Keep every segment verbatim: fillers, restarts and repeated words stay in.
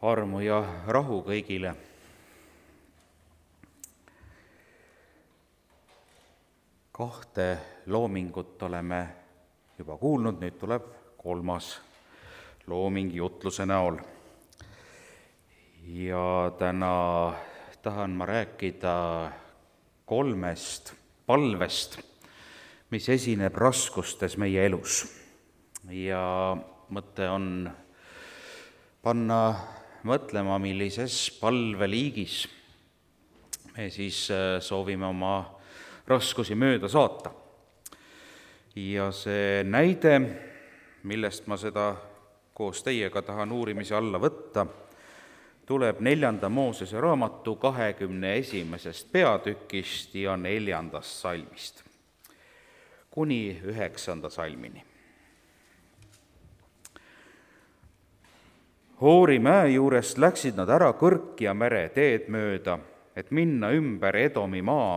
armu ja rahu kõigile. Kahte loomingut oleme juba kuulnud, nüüd tuleb kolmas looming jutluse näol. Ja täna tahan ma rääkida kolmest palvest, mis esineb raskustes meie elus. Ja mõte on panna mõtlema, millises palveliigis me siis soovime oma raskusi mööda saata. Ja see näide, millest ma seda koos teiega tahan uurimise alla võtta, tuleb neljanda Moosese raamatu kahekümne esimesest peatükist ja neljandast salmist kuni üheksanda salmini. Hoori mäe juurest läksid nad ära Kõrkja mere teed mööda, et minna ümber Edomi maa,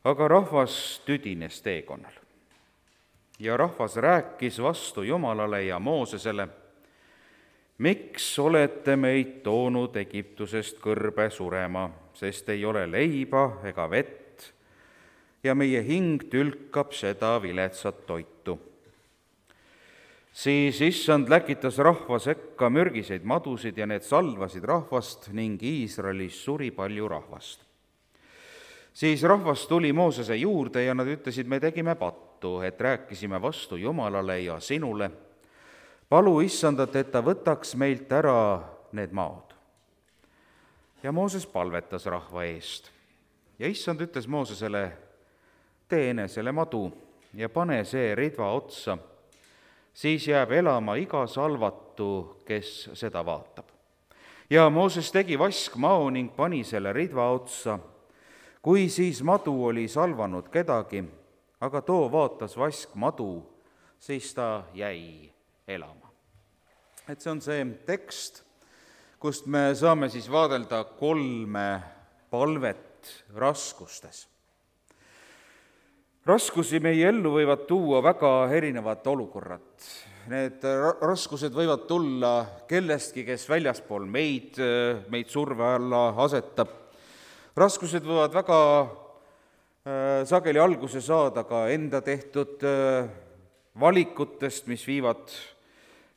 aga rahvas tüdines teekonnal. Ja rahvas rääkis vastu Jumalale ja Moosesele: miks olete meid toonud Egiptusest kõrbe surema, sest ei ole leiba ega vett, ja meie hing tülkab seda viletsat toitu. Siis issand läkitas rahva sekka mürgiseid madusid ja need salvasid rahvast ning Iisraelis suri palju rahvast. Siis rahvas tuli Moosese juurde ja nad ütlesid: me tegime pattu, et rääkisime vastu Jumalale ja sinule. Palu issandat, et ta võtaks meilt ära need maod. Ja Mooses palvetas rahva eest. Ja issand ütles Moosesele: tee enesele madu ja pane see ridva otsa, siis jääb elama iga salvatu, kes seda vaatab. Ja Mooses tegi vaskmao ning pani selle ridva otsa. Kui siis madu oli salvanud kedagi, aga too vaatas vaskmadu, siis ta jäi elama. Et see on see tekst, kust me saame siis vaadelda kolme palvet raskustes. Raskusi meie ellu võivad tuua väga erinevad olukorrad. Need raskused võivad tulla kellestki, kes väljaspool meid, meid surve alla asetab. Raskused võivad väga sageli alguse saada ka enda tehtud valikutest, mis viivad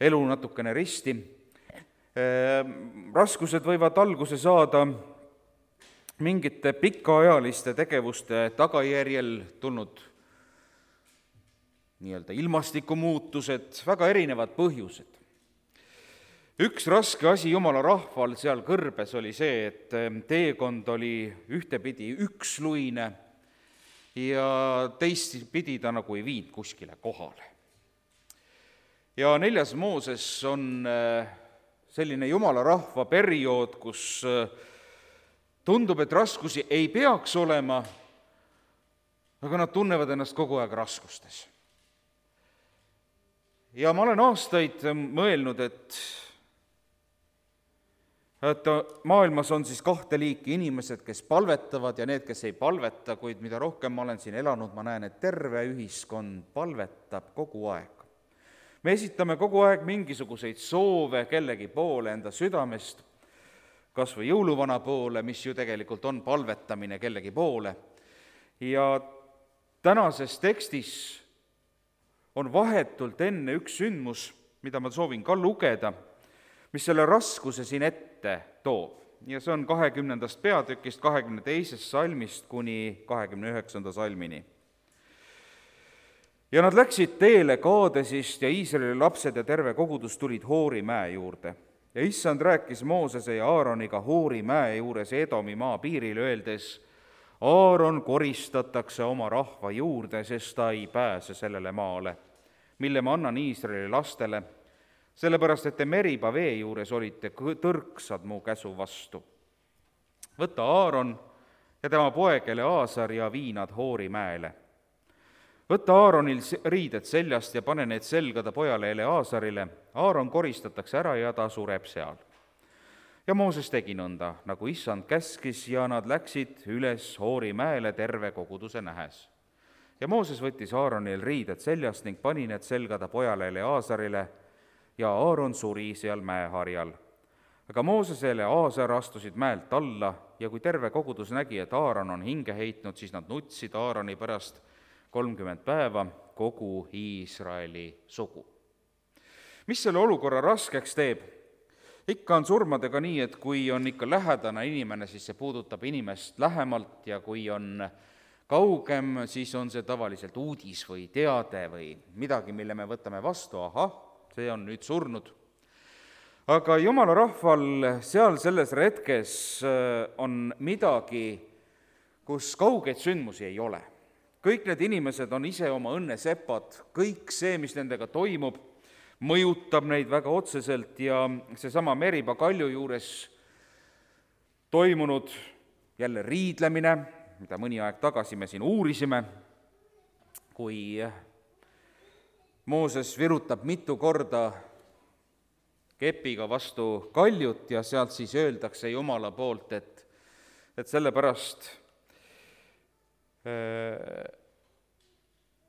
elu natukene risti. Raskused võivad alguse saada mingite pikaajaliste tegevuste tagajärjel tulnud nii-öelda ilmastikumuutused, väga erinevad põhjused. Üks raske asi Jumala rahval seal kõrbes oli see, et teekond oli ühtepidi üksluine ja teistpidi ta nagu ei viinud kuskile kohale. Ja neljas Mooses on selline Jumala rahva periood, kus tundub, et raskusi ei peaks olema, aga nad tunnevad ennast kogu aeg raskustes. Ja ma olen aastaid mõelnud, et, et maailmas on siis kahte liiki inimesed, kes palvetavad ja need, kes ei palveta, kuid mida rohkem ma olen siin elanud, ma näen, et terve ühiskond palvetab kogu aeg. Me esitame kogu aeg mingisuguseid soove kellegi poole enda südamest, kas või jõuluvana poole, mis ju tegelikult on palvetamine kellegi poole. Ja tänases tekstis on vahetult enne üks sündmus, mida ma soovin ka lugeda, mis selle raskuse siin ette toob. Ja see on kahekümnendast peatükist, kahekümne teisest salmist kuni kahekümne üheksanda salmini. Ja nad läksid teele Kaadesist ja Iisraeli lapsed ja terve kogudus tulid Hoori mäe juurde. Ja issand rääkis Moosese ja Aaroniga Hoori mäe juures Edomi maa piiril, öeldes: Aaron koristatakse oma rahva juurde, sest ta ei pääse sellele maale, mille ma annan Iisraeli lastele, sellepärast et te Meriba vee juures olite tõrksad mu käsu vastu. Võta Aaron ja tema poeg Eleazar ja vii nad Hoori mäele. Võta Aaronil riided seljast ja pane need selga ta pojale Eleazarile. Aaron koristatakse ära ja ta sureb seal. Ja Mooses tegi nõnda, nagu issand käskis, ja nad läksid üles Hoori mäele terve koguduse nähes. Ja Mooses võttis Aaronil riided seljast ning pani need selga ta pojale Eleazarile ja Aaron suri seal mäeharjal. aga Moosesel ja Aasar astusid mäelt alla ja kui terve kogudus nägi, et Aaron on hinge heitnud, siis nad nutsid Aaroni pärast kolmkümmend päeva kogu Iisraeli sugu. Mis selle olukorra raskeks teeb? Ikka on surmadega nii, et kui on ikka lähedane inimene, siis see puudutab inimest lähemalt ja kui on kaugem, siis on see tavaliselt uudis või teade või midagi, mille me võtame vastu, ahah, see on nüüd surnud. Aga jumala rahval seal selles retkes on midagi, kus kaugeid sündmusi ei ole. Kõik need inimesed on ise oma õnnesepad, kõik see, mis nendega toimub, mõjutab neid väga otseselt ja seesama Meriba kalju juures toimunud jälle riidlemine, mida mõni aeg tagasi me siin uurisime, kui Mooses virutab mitu korda kepiga vastu kaljut ja sealt siis öeldakse Jumala poolt, et, et sellepärast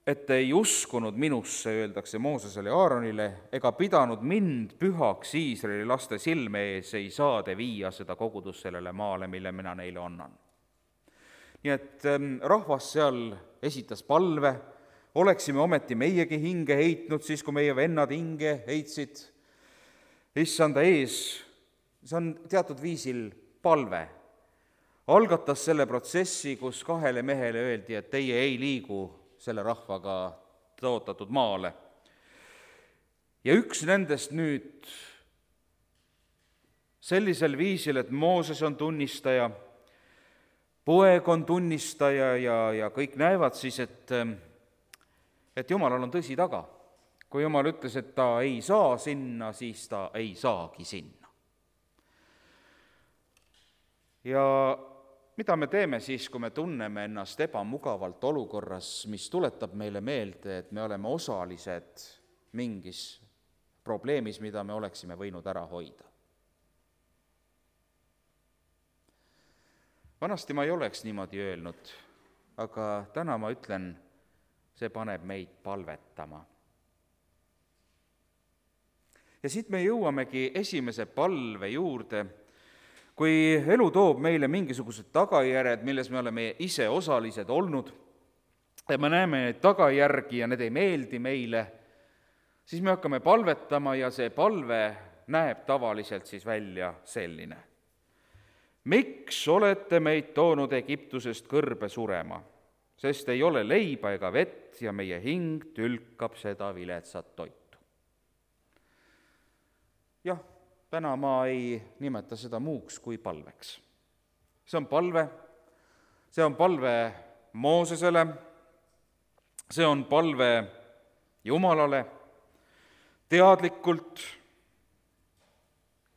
et ei uskunud minusse, öeldakse Moosesele ja Aaronile, ega pidanud mind pühaks Iisraeli laste silme ees, ei saa te viia seda kogudust sellele maale, mille mina neile annan. Nii et rahvas seal esitas palve, oleksime ometi meiegi hinge heitnud, siis kui meie vennad hinge heitsid issanda ees, see on teatud viisil palve. Algatas selle protsessi, kus kahele mehele öeldi, et teie ei liigu selle rahvaga tõotatud maale. Ja üks nendest nüüd sellisel viisil, et Mooses on tunnistaja, poeg on tunnistaja ja, ja kõik näevad siis, et, et Jumalal on tõsi taga. Kui Jumal ütles, et ta ei saa sinna, siis ta ei saagi sinna. Ja mida me teeme siis, kui me tunneme ennast ebamugavalt olukorras, mis tuletab meile meelde, et me oleme osalised mingis probleemis, mida me oleksime võinud ära hoida? Vanasti ma ei oleks niimoodi öelnud, aga täna ma ütlen, see paneb meid palvetama. Ja siit me jõuamegi esimese palve juurde. Kui elu toob meile mingisugused tagajärjed, milles me oleme ise osalised olnud, ja me näeme neid tagajärgi ja need ei meeldi meile, siis me hakkame palvetama ja see palve näeb tavaliselt siis välja selline. Miks olete meid toonud Egiptusest kõrbe surema, sest ei ole leiba ega vett ja meie hing tülkab seda viletsat toitu. Jah, täna ma ei nimeta seda muuks kui palveks. See on palve, see on palve Moosesele, see on palve Jumalale, teadlikult,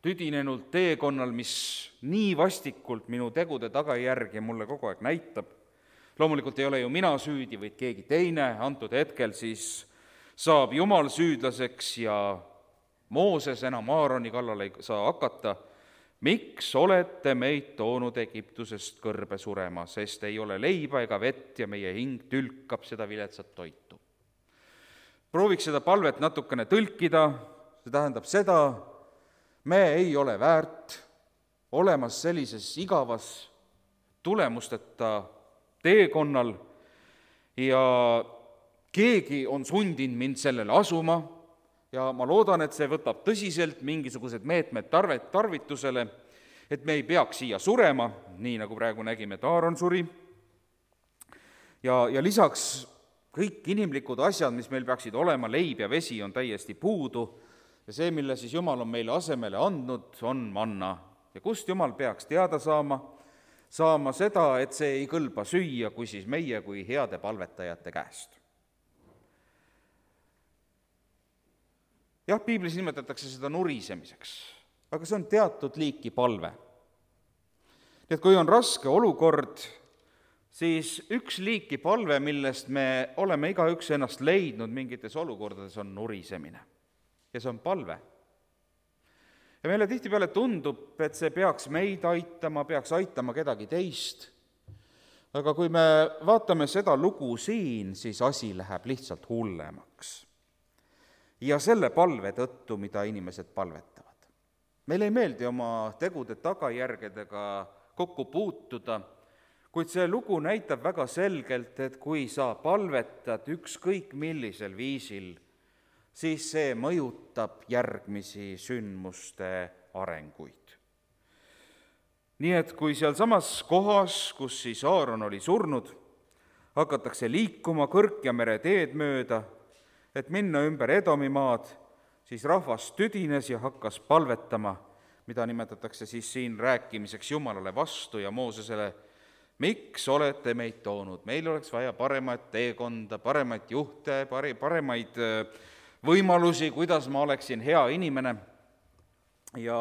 tüdinenult teekonnal, mis nii vastikult minu tegude tagajärgi mulle kogu aeg näitab. Loomulikult ei ole ju mina süüdi, vaid keegi teine, antud hetkel siis saab Jumal süüdlaseks ja Mooses enam Aaroni kallal ei saa hakata. Miks olete meid toonud Egiptusest kõrbe surema, sest ei ole leiba ega vett ja meie hing tülkab seda viletsat toitu. Prooviks seda palvet natukene tõlkida, see tähendab seda, me ei ole väärt olemas sellises igavas tulemusteta teekonnal ja keegi on sundinud mind sellele asuma, ja ma loodan, et see võtab tõsiselt mingisugused meetmed tarvet tarvitusele, et me ei peaks siia surema, nii nagu praegu nägime, et Aaron suri. Ja, ja lisaks kõik inimlikud asjad, mis meil peaksid olema, leib ja vesi on täiesti puudu ja see, mille siis Jumal on meile asemele andnud, on manna. Ja kust Jumal peaks teada saama? Saama seda, et see ei kõlba süüa, kui siis meie kui heade palvetajate käest. Jah, piiblis nimetatakse seda nurisemiseks, aga see on teatud liiki palve. Nii et kui on raske olukord, siis üks liiki palve, millest me oleme igaüks ennast leidnud mingites olukordades, on nurisemine. Ja see on palve. Ja meile tihtipeale tundub, et see peaks meid aitama, peaks aitama kedagi teist. Aga kui me vaatame seda lugu siin, siis asi läheb lihtsalt hullemaks. Ja selle palve tõttu, mida inimesed palvetavad. meil ei meeldi oma tegude tagajärgedega kokku puutuda, kuid see lugu näitab väga selgelt, et kui sa palvetad ükskõik millisel viisil, siis see mõjutab järgmisi sündmuste arenguid. Nii et kui sealsamas kohas, kus siis Aaron oli surnud, hakatakse liikuma Kõrkjamere teed mööda, et minna ümber Edomi maad, siis rahvas tüdines ja hakkas palvetama, mida nimetatakse siis siin rääkimiseks Jumalale vastu ja Moosesele, miks olete meid toonud, meil oleks vaja paremat teekonda, paremaid juhte, paremaid võimalusi, kuidas ma oleksin hea inimene. Ja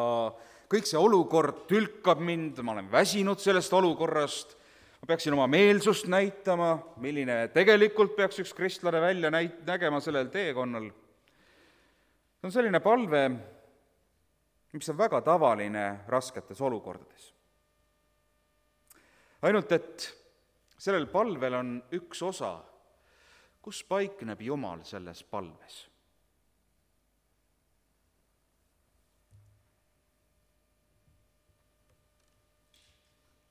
kõik see olukord tülkab mind, ma olen väsinud sellest olukorrast, ma peaksin oma meelsust näitama, milline tegelikult peaks üks kristlane välja näit-, nägema sellel teekonnal. See on selline palve, mis on väga tavaline rasketes olukordades. Ainult, et sellel palvel on üks osa, kus paikneb Jumal selles palves.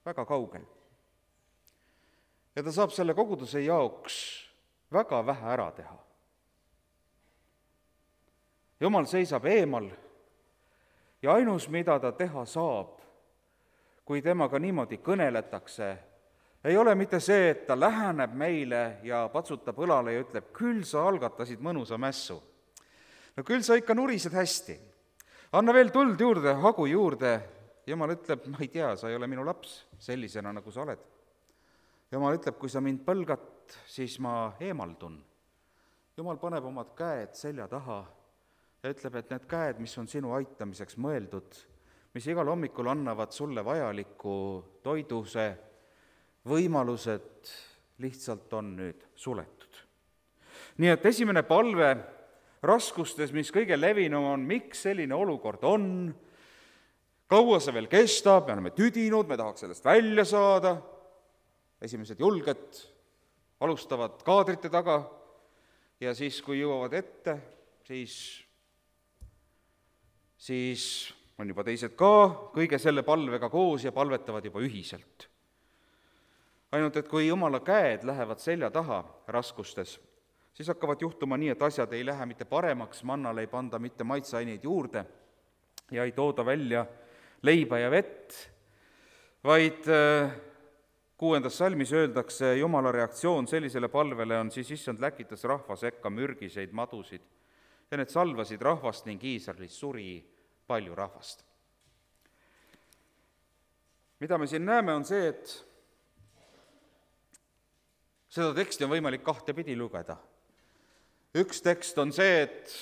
Väga kaugel. Ja ta saab selle koguduse jaoks väga vähe ära teha. Jumal seisab eemal ja ainus, mida ta teha saab, kui temaga niimoodi kõneletakse, ei ole mitte see, et ta läheneb meile ja patsutab õlale ja ütleb, küll sa algatasid mõnusa mässu. No küll sa ikka nurised hästi. Anna veel tuld juurde, hagu juurde. Jumal ütleb, ma ei tea, sa ei ole minu laps sellisena, nagu sa oled. Jumal ütleb, kui sa mind põlgat, siis ma eemaldun. Jumal paneb omad käed selja taha ja ütleb, et need käed, mis on sinu aitamiseks mõeldud, mis igal hommikul annavad sulle vajaliku toiduse, võimalused lihtsalt on nüüd suletud. Nii et esimene palve raskustes, mis kõige levinum on, miks selline olukord on, kaua see veel kestab, me oleme tüdinud, me tahaks sellest välja saada, esimesed julged alustavad kaadrite taga ja siis, kui jõuavad ette, siis, siis on juba teised ka kõige selle palvega koos ja palvetavad juba ühiselt. Ainult, et kui Jumala käed lähevad selja taha raskustes, siis hakkavad juhtuma nii, et asjad ei lähe mitte paremaks, mannale ei panda mitte maitseaineid juurde ja ei tooda välja leiba ja vett, vaid kuuendas salmis öeldakse, Jumala reaktsioon sellisele palvele on siis issand läkitas rahva sekka mürgiseid madusid ja need salvasid rahvast ning Iisraelis suri palju rahvast. Mida me siin näeme, on see, et seda teksti on võimalik kahte pidi lugeda. Üks tekst on see, et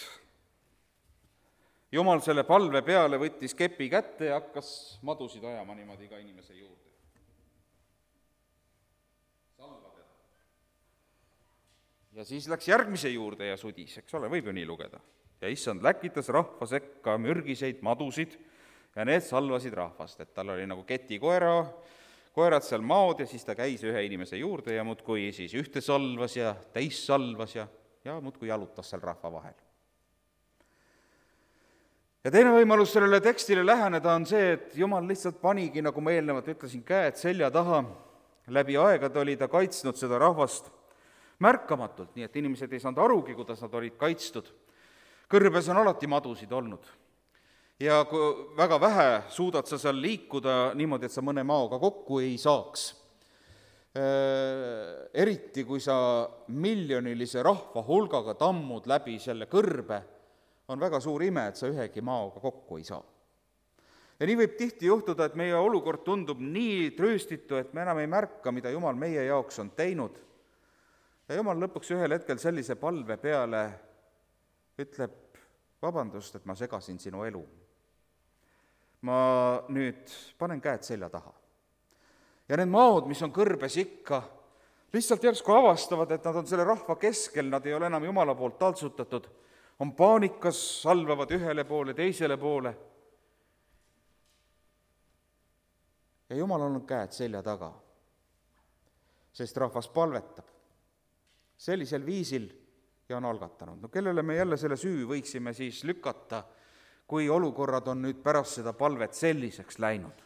Jumal selle palve peale võttis kepi kätte ja hakkas madusid ajama niimoodi iga inimese juurde. Salva teda. Ja siis läks järgmise juurde ja sudis, eks ole, võib ju nii lugeda. Ja issand läkitas rahva sekka mürgiseid madusid ja need salvasid rahvast, et tal oli nagu ketikoera, koerad seal maod ja siis ta käis ühe inimese juurde ja muudkui siis ühte salvas ja teist salvas ja, ja muudkui jalutas seal rahva vahel. Ja teine võimalus sellele tekstile läheneda on see, et Jumal lihtsalt panigi, nagu ma eelnevalt ütlesin, käed selja taha, läbi aegade oli ta kaitsnud seda rahvast märkamatult, nii et inimesed ei saanud arugi, kuidas nad olid kaitstud. Kõrbes on alati madusid olnud. Ja kui väga vähe suudad sa seal liikuda niimoodi, et sa mõne maoga kokku ei saaks. Eriti, kui sa miljonilise rahva hulgaga tammud läbi selle kõrbe, on väga suur ime, et sa ühegi maoga kokku ei saa. Ja nii võib tihti juhtuda, et meie olukord tundub nii trööstitu, et me enam ei märka, mida Jumal meie jaoks on teinud. Ja Jumal lõpuks ühel hetkel sellise palve peale ütleb, vabandust, et ma segasin sinu elu. Ma nüüd panen käed selja taha. Ja need maod, mis on kõrbes ikka, lihtsalt järsku avastavad, et nad on selle rahva keskel, nad ei ole enam Jumala poolt taltsutatud, on paanikas, salvavad ühele poole, teisele poole. Ja Jumal on olnud käed selja taga, sest rahvas palvetab sellisel viisil ja on algatanud. No kellele me jälle selle süü võiksime siis lükata, kui olukorrad on nüüd pärast seda palvet selliseks läinud.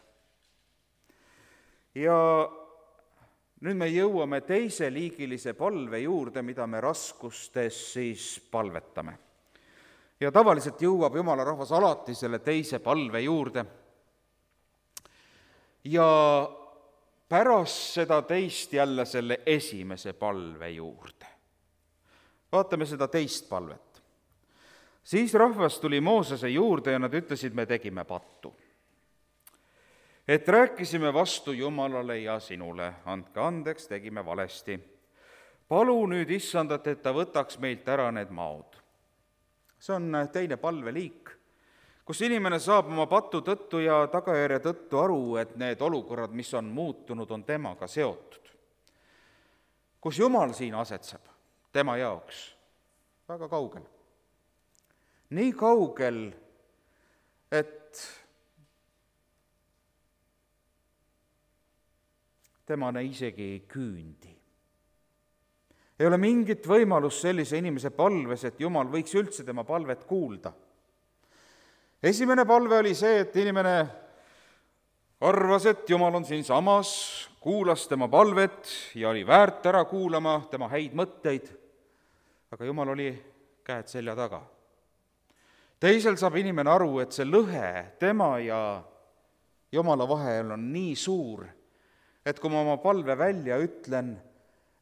Ja nüüd me jõuame teiseliigilise palve juurde, mida me raskustes siis palvetame. Ja tavaliselt jõuab jumala rahvas alati selle teise palve juurde. Ja pärast seda teist jälle selle esimese palve juurde. Vaatame seda teist palvet. Siis rahvas tuli Moosese juurde ja nad ütlesid, me tegime pattu. Et rääkisime vastu Jumalale ja sinule, andke andeks, tegime valesti. Palu nüüd issandat, et ta võtaks meilt ära need maod. See on teine palveliik, kus inimene saab oma patu tõttu ja tagajärje tõttu aru, et need olukorrad, mis on muutunud, on temaga seotud. Kus Jumal siin asetseb tema jaoks? Väga kaugel. Nii kaugel, et temane isegi ei küündi. Ei ole mingit võimalust sellise inimese palves, et Jumal võiks üldse tema palvet kuulda. Esimene palve oli see, et inimene arvas, et Jumal on siin samas, kuulas tema palvet ja oli väärt ära kuulama tema häid mõtteid, aga Jumal oli käed selja taga. Teisel saab inimene aru, et see lõhe tema ja Jumala vahel on nii suur, et kui ma oma palve välja ütlen,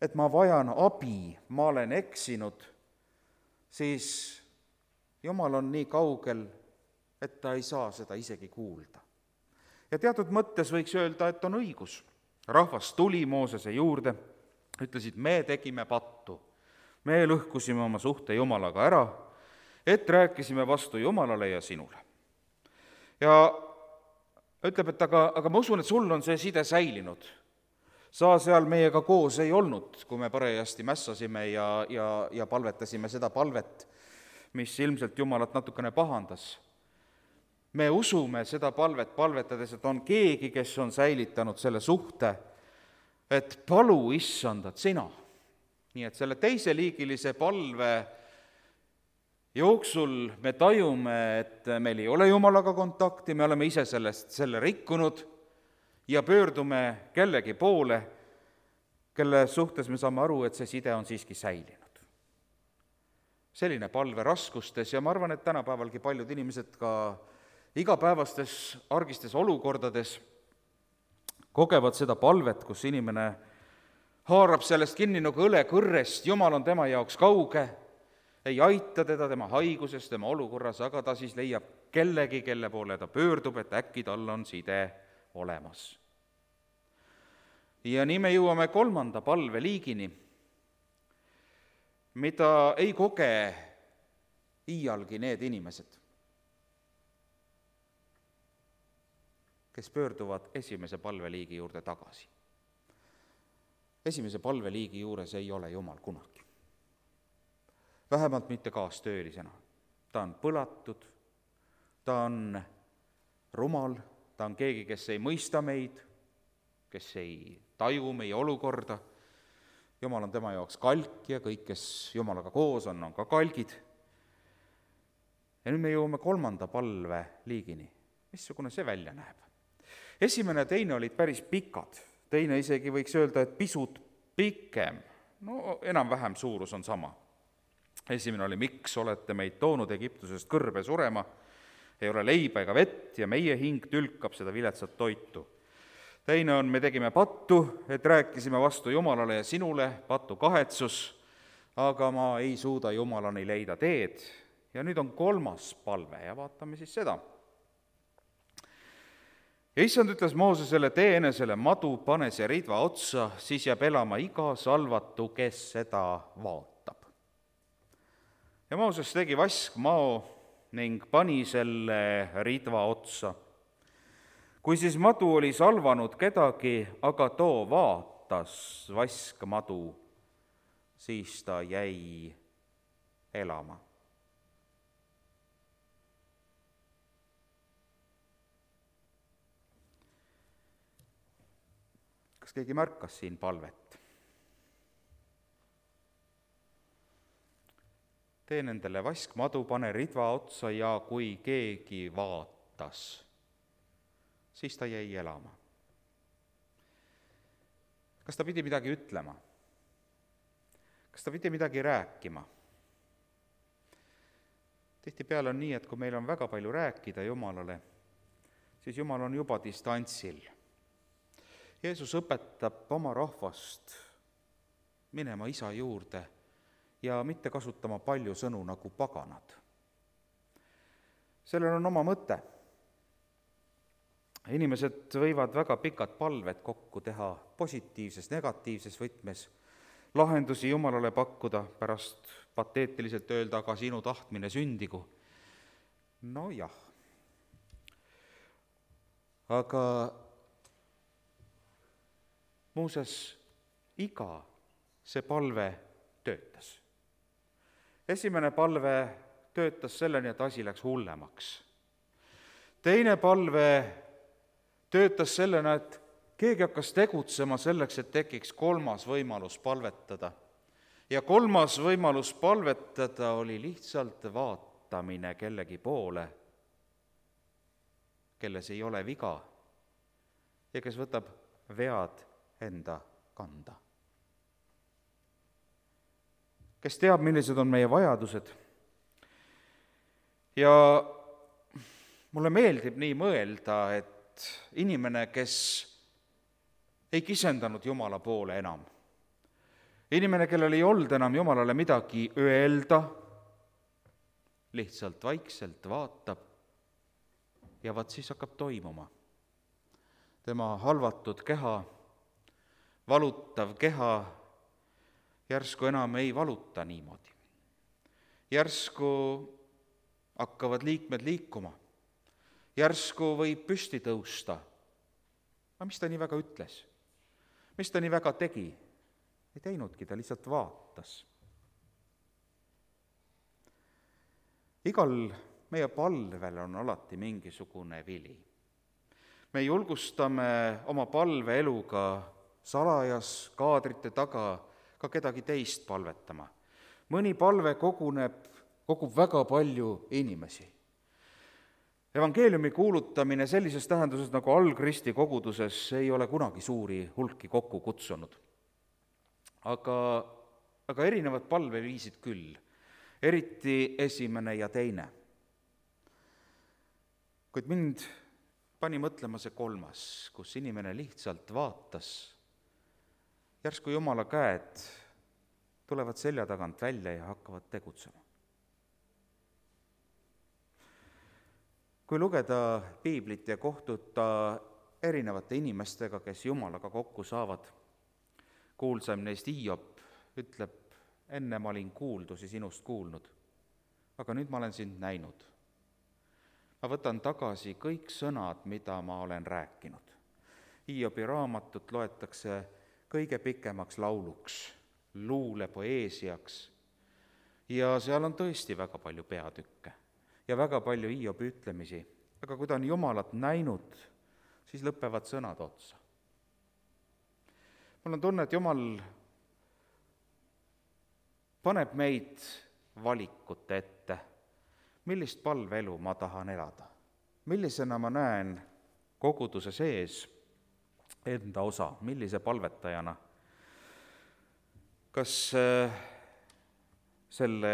et ma vajan abi, ma olen eksinud, siis Jumal on nii kaugel, et ta ei saa seda isegi kuulda. Ja teatud mõttes võiks öelda, et on õigus. Rahvas tuli Moosese juurde, ütlesid, me tegime pattu, me lõhkusime oma suhte Jumalaga ära, et rääkisime vastu Jumalale ja sinule. Ja ütleb, et aga, aga ma usun, et sul on see side säilinud. Sa seal meiega koos ei olnud, kui me parajasti mässasime ja, ja, ja palvetasime seda palvet, mis ilmselt Jumalat natukene pahandas. Me usume seda palvet palvetades, et on keegi, kes on säilitanud selle suhte, et palu issandat sina. Nii et selle teiseliigilise palve jooksul me tajume, et meil ei ole Jumalaga kontakti, me oleme ise sellest selle rikkunud ja pöördume kellegi poole, kelle suhtes me saame aru, et see side on siiski säilinud. Selline palve raskustes ja ma arvan, et tänapäevalgi paljud inimesed ka igapäevastes argistes olukordades kogevad seda palvet, kus inimene haarab sellest kinni nagu õle kõrrest, Jumal on tema jaoks kauge, ei aita teda tema haiguses, tema olukorras, aga ta siis leiab kellegi, kelle poole ta pöördub, et äkki tal on side olemas. Ja nii me jõuame kolmanda palveliigini, mida ei koge iialgi need inimesed, kes pöörduvad esimese palveliigi juurde tagasi. Esimese palveliigi juures ei ole Jumal kunagi. Vähemalt mitte kaastöölisena. Ta on põlatud, ta on rumal, ta on keegi, kes ei mõista meid, kes ei taju meie olukorda. Jumal on tema jaoks kalk ja kõik, kes Jumalaga koos on, on ka kalgid. Ja nüüd me jõuame kolmanda palve liigini. Missugune see välja näeb? Esimene ja teine olid päris pikad. Teine isegi võiks öelda, et pisut pikem. No enam-vähem suurus on sama. Esimene oli, miks olete meid toonud Egiptusest kõrbe surema, ei ole leiba ega vett ja meie hing tülkab seda viletsat toitu. Teine on, me tegime pattu, et rääkisime vastu Jumalale ja sinule, pattu kahetsus, aga ma ei suuda Jumalani leida teed. Ja nüüd on kolmas palve ja vaatame siis seda. Ja issand ütles Moosesele, tee enesele madu, pane see ridva otsa, siis jääb elama iga salvatu, kes seda vaatab. Ja Mooses tegi vaskmao ning pani selle ridva otsa. Kui siis madu oli salvanud kedagi, aga too vaatas vaskmadu, siis ta jäi elama. Kas keegi märkas siin palvet? tee nendele vaskmadu, pane ridva otsa ja kui keegi vaatas, siis ta jäi elama. Kas ta pidi midagi ütlema? Kas ta pidi midagi rääkima? Tihtipeale on nii, et kui meil on väga palju rääkida Jumalale, siis Jumal on juba distantsil. Jeesus õpetab oma rahvast minema Isa juurde ja mitte kasutama palju sõnu nagu paganad. Sellel on oma mõte. Inimesed võivad väga pikad palved kokku teha positiivses, negatiivses võtmes, lahendusi Jumalale pakkuda, pärast pateetiliselt öelda, aga sinu tahtmine sündigu. No jah. Aga muuses iga see palve töötas. Esimene palve töötas selleni, et asi läks hullemaks. Teine palve töötas sellena, et keegi hakkas tegutsema selleks, et tekiks kolmas võimalus palvetada. Ja kolmas võimalus palvetada oli lihtsalt vaatamine kellegi poole, kelles ei ole viga ja kes võtab vead enda kanda. Kes teab, millised on meie vajadused. Ja mulle meeldib nii mõelda, et inimene, kes ei kisendanud Jumala poole enam, inimene, kellel ei olnud enam Jumalale midagi öelda, lihtsalt vaikselt vaatab ja vaat siis hakkab toimuma. Tema halvatud keha, valutav keha järsku enam ei valuta niimoodi. Järsku hakkavad liikmed liikuma. Järsku võib püsti tõusta. Aga mis ta nii väga ütles? Mis ta nii väga tegi? Ei teinudki, ta lihtsalt vaatas. Igal meie palvel on alati mingisugune vili. Me julgustame oma palveeluga salajas kaadrite taga ka kedagi teist palvetama. Mõni palve koguneb, kogub väga palju inimesi. Evangeeliumi kuulutamine sellises tähenduses nagu algristi koguduses ei ole kunagi suuri hulki kokku kutsunud. Aga, aga erinevad palveviisid küll, eriti esimene ja teine. Kuid mind pani mõtlema see kolmas, kus inimene lihtsalt vaatas. Järsku Jumala käed tulevad selja tagant välja ja hakkavad tegutsema. Kui lugeda piiblit ja kohtuda erinevate inimestega, kes Jumalaga kokku saavad, kuulsam neist Hiob ütleb, enne ma olin kuuldusi sinust kuulnud, aga nüüd ma olen sind näinud. Ma võtan tagasi kõik sõnad, mida ma olen rääkinud. Hiobi raamatut loetakse kõige pikemaks lauluks, luule poeesiaks ja seal on tõesti väga palju peatükke ja väga palju Hiobi ütlemisi, aga kui ta on Jumalat näinud, siis lõpevad sõnad otsa. Mul on tunne, et Jumal paneb meid valikute ette, millist palveelu ma tahan elada, millisena ma näen koguduse sees enda osa, millise palvetajana. Kas selle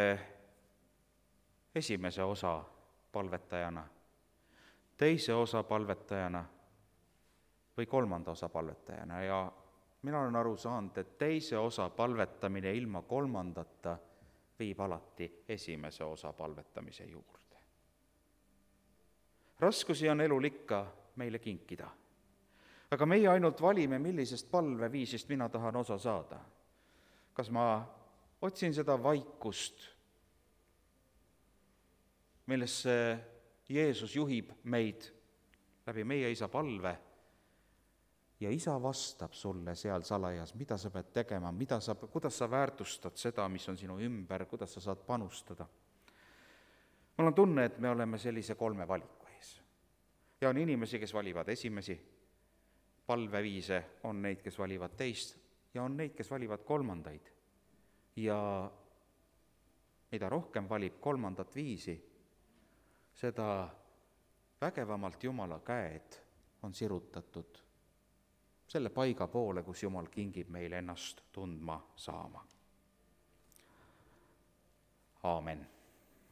esimese osa palvetajana, teise osa palvetajana või kolmanda osa palvetajana ja mina olen aru saanud, et teise osa palvetamine ilma kolmandata viib alati esimese osa palvetamise juurde. Raskusi on elul ikka meile kinkida, aga meie ainult valime, millisest palveviisist mina tahan osa saada. Kas ma otsin seda vaikust, millesse Jeesus juhib meid läbi meie Isa palve ja Isa vastab sulle seal salajas, mida sa pead tegema, mida sa, kuidas sa väärtustad seda, mis on sinu ümber, kuidas sa saad panustada. Mul on tunne, et me oleme sellise kolme valiku ees. Ja on inimesi, kes valivad esimesi palveviise, on neid, kes valivad teist ja on neid, kes valivad kolmandaid. Ja mida rohkem valib kolmandat viisi, seda vägevamalt Jumala käed on sirutatud selle paiga poole, kus Jumal kingib meile ennast tundma saama. Aamen.